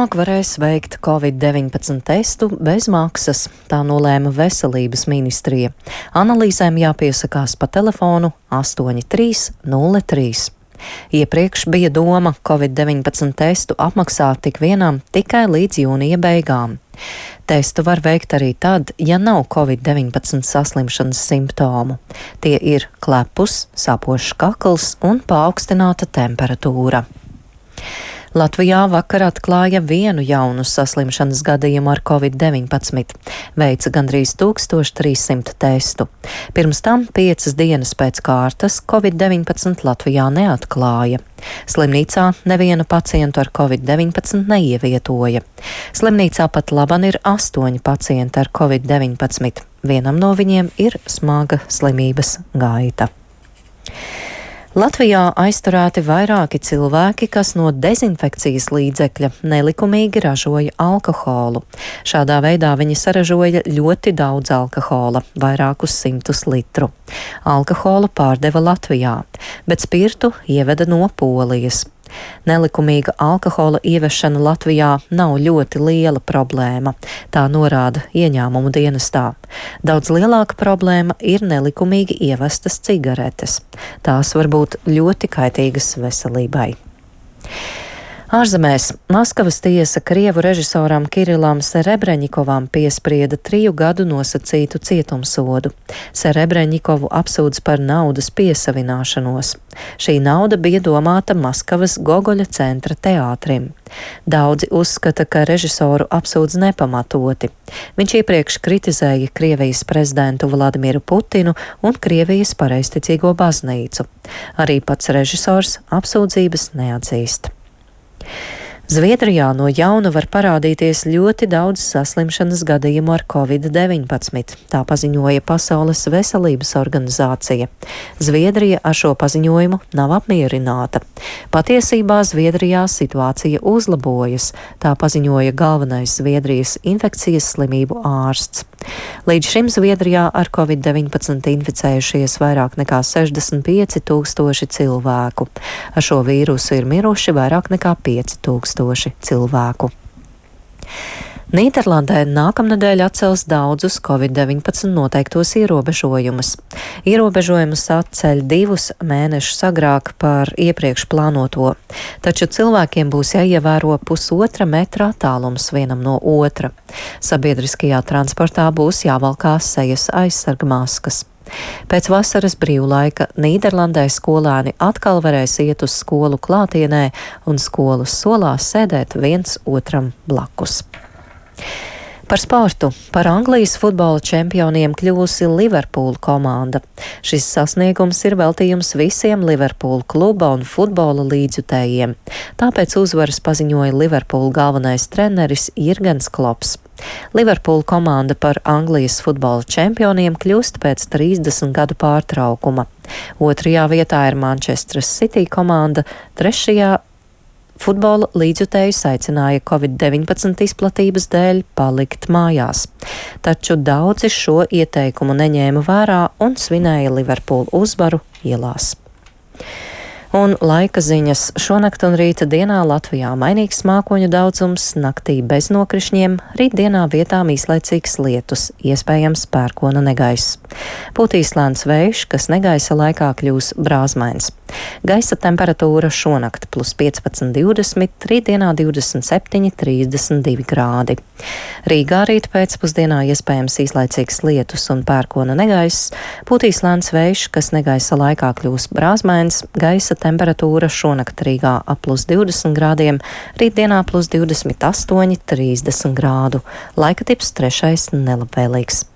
Varēs veikt Covid-19 testu bez maksas, tā nolēma Veselības ministrija. Analīzēm jāpiesakās pa telefonu 8303. Iepriekš bija doma Covid-19 testu apmaksāt tik vienam tikai līdz jūnija beigām. Testu var veikt arī tad, ja nav Covid-19 saslimšanas simptomu. Tie ir klepus, sāpošs kakls un paaugstināta temperatūra. Latvijā vakar atklāja vienu jaunu saslimšanas gadījumu ar Covid-19, veica gandrīz 1300 testu. Pirms tam 5 dienas pēc kārtas Covid-19 Latvijā neatklāja. Slimnīcā nevienu pacientu ar Covid-19 neievietoja. Slimnīcā pat laban ir 8 pacienti ar Covid-19. Vienam no viņiem ir smaga slimības gaita. Latvijā aizturēti vairāki cilvēki, kas no dezinfekcijas līdzekļa nelikumīgi ražoja alkoholu. Šādā veidā viņi saražoja ļoti daudz alkohola, vairākus 100 litru. Alkoholu pārdeva Latvijā, bet spirtu ieveda no Polijas. Nelikumīga alkohola ievešana Latvijā nav ļoti liela problēma, tā norāda ieņēmumu dienestā. Daudz lielāka problēma ir nelikumīgi ievestas cigaretes. Tās var būt ļoti kaitīgas veselībai. Ārzemēs Maskavas tiesa Krievu režisoram Kirilam Serebreņikovam piesprieda 3 gadu nosacītu cietumsodu. Serebreņikovu apsūdz par naudas piesavināšanos. Šī nauda bija domāta Maskavas Gogoļa centra teātrim. Daudzi uzskata, ka režisoru apsūdz nepamatoti. Viņš iepriekš kritizēja Krievijas prezidentu Vladimiru Putinu un Krievijas pareizticīgo baznīcu. Arī pats režisors apsūdzības neatzīst. Zviedrijā no jauna var parādīties ļoti daudz saslimšanas gadījumu ar Covid-19, tā paziņoja Pasaules veselības organizācija. Zviedrija ar šo paziņojumu nav apmierināta. Patiesībā Zviedrijā situācija uzlabojas, tā paziņoja galvenais Zviedrijas infekcijas slimību ārsts. Līdz šim Zviedrijā ar Covid-19 inficējušies vairāk nekā 65 000 cilvēku. Ar šo vīrusu ir miruši vairāk nekā 5000 cilvēku. Nīderlandē nākamnedēļ atcels daudzus Covid-19 noteiktos ierobežojumus. Ierobežojumus atceļ 2 mēnešus agrāk par iepriekš plānoto, taču cilvēkiem būs jāievēro 1,5 metra attālums vienam no otra. Sabiedriskajā transportā būs jāvalkās sejas aizsargmaskas. Pēc vasaras brīvlaika Nīderlandē skolēni atkal varēs iet uz skolu klātienē un skolas solās sēdēt viens otram blakus. Par sportu. Par Anglijas futbola čempioniem kļūsi Liverpool komanda. Šis sasniegums ir veltījums visiem Liverpool kluba un futbola līdzjutējiem. Tāpēc uzvaras paziņoja Liverpool galvenais treneris Jurgens Klopps. Liverpool komanda par Anglijas futbola čempioniem kļūst pēc 30 gadu pārtraukuma. 2. vietā ir Manchester City komanda, 3. futbola līdzjutējus aicināja Covid-19 izplatības dēļ palikt mājās. Taču daudzi šo ieteikumu neņēma vērā un svinēja Liverpool uzvaru ielās. Un laika ziņas. Šonakt un rīta dienā Latvijā mainīgs mākoņu daudzums, naktī bez nokrišņiem, rītdienā vietām īslaicīgs lietus, iespējams pērkona negaiss. Pūtīs lēns vējš, kas negaisa laikā kļūs brāzmains. Gaisa temperatūra šonakt +15, 20, rītdienā 27, 32 grādi. Rīgā rīt pēcpusdienā iespējams īslaicīgs lietus un pērkona negaiss, pūtīs lēns vējš, kas negaisa laikā kļūs brāzmains, gaisa temperatūra šonakt Rīgā ap +20 grādiem, rītdienā +28, 30 grādu. Laika tips 3. nelabvēlīgs.